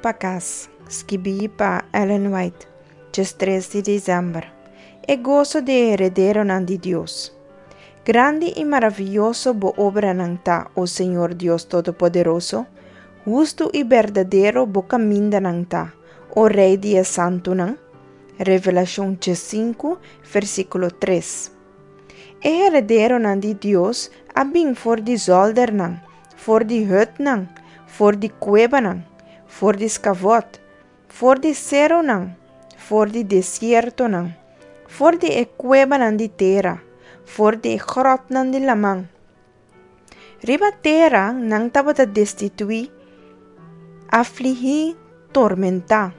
pa kas, skibí pa Ellen White, 13 di desèmber. E goso di e herederonan di Dios. Grandi i maravioso bo obranan ta, o Señor Dios Todopoderoso! Hustu i berdadero bo kamindanan ta, o Rei di e santunan. Revelashon 15, versíkulo 3. E herederonan di Dios a bin for di zòldernan, for di hùtnan, for di kuebanan, for di skavòt, for di serunan, for di desiertonan, for di e kuebanan di tera, for di e gròtnan di laman. Riba tera nan tabata destituí, afligí, tormentá.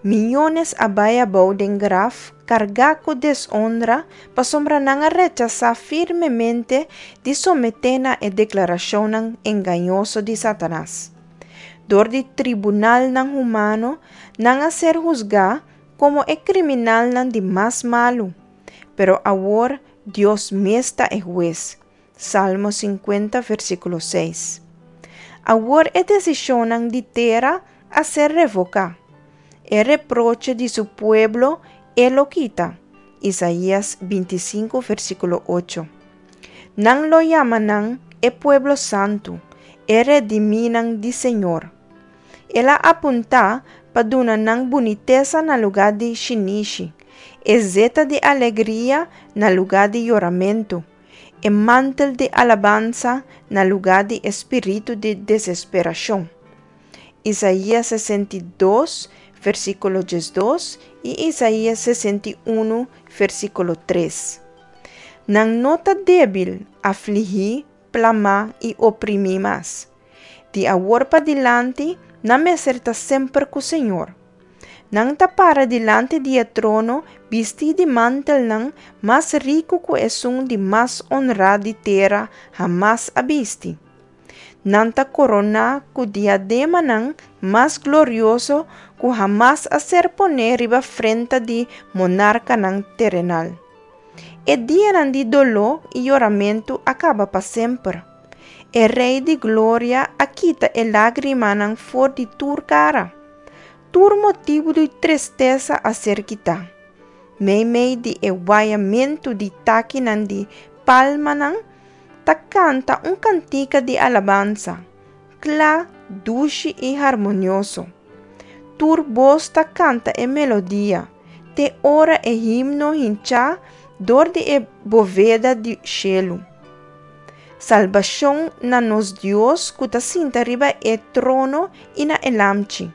Miónes a bai abou den graf kargá ku deshonra pasobra nan a rechasá firmemente di someté na e deklarashonnan engañoso di Satanas. Dor di tribunalnan humano nan a ser husgá komo e kriminalnan di mas malu. Pero awor Dios mes ta e hues. Salmo 50 versíkulo 6. Awor e desishonnan di tera a ser revoká. E reproche di su pueblo e lo kita. Isaías 25 versíkulo 8. Nan lo yama nan e pueblo santu, e redimínan di Señor. El a apuntá pa duna nan bunitesa na lugá di shinishi, e zeta di alegria na lugá di yoramentu, e mantel di alabansa na lugá di e spiritu di desesperashon. Isaías 62, versíkulo 12 i Isaías 61, versíkulo 3. Nan no ta débil, afligí, plamá i oprimí mas. Di awor padilanti, nan mester ta semper ku Señor. Nan ta para dilanti di e trono bistí di mantelnan mas riku ku esun di mas honrá di tera hamas a bisti. Nan ta koroná ku diademanan mas glorioso ku hamas a ser poné riba frenta di monarkanan terenal. E dianan di doló i yoramentu a kaba pa semper. E Rei di Gloria a kita e lágrimanan for di tur kara. Tur motibu di tristesa a ser kitá. Meimei di e wayamentu di takinan di palmanan ta kanta un kantika di alabansa, kla, dushi i harmonioso. Tur bos ta kanta e melodia, te ora e himno hinchá dor di e boveda di shelu. Salbashon na nos Dios ku ta sinta riba e trono i na e Lamchi.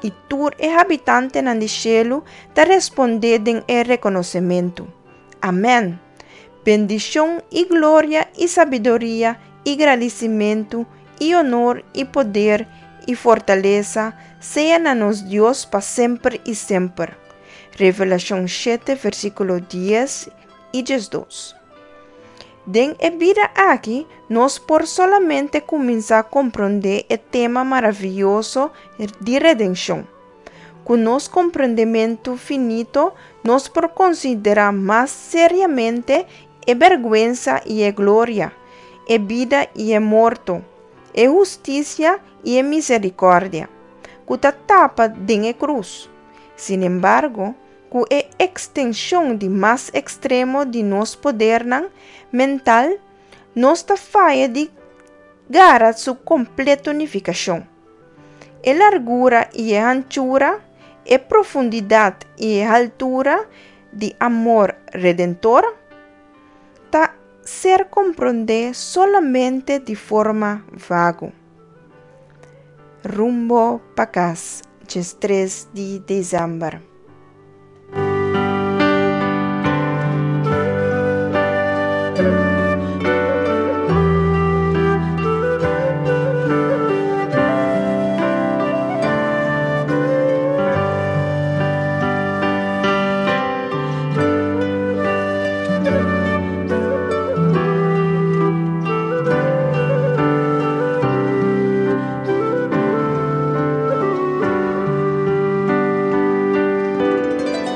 I tur e habitantenan di shelu ta respondé den e rekonosementu, Amèn! Bendishon i gloria i sabiduria i gradisimentu i onor i poder i fortalesa sea na nos Dios pa semper i semper. Revelashon shete versíkulo dies i 12. Den e bida aki nos por solamente kuminsá komprondé e tema maravioso di redenshon. Ku nos komprondementu finito nos por konsiderá mas seriamente e bèrgwensa i e gloria, e bida i e morto, e hustisia i e miserikòrdia, ku ta tapa den e krus. Sinembargo, ku e ekstenshon di mas ekstremo di nos podernan mental, nos ta faya di gara su kompleto nifikashon. E largura i e hanchura, e profundidat i e haltura di amor redentor ta ser komprondé solamente di forma vago. Rumbo pa kas, 13 di desèmber.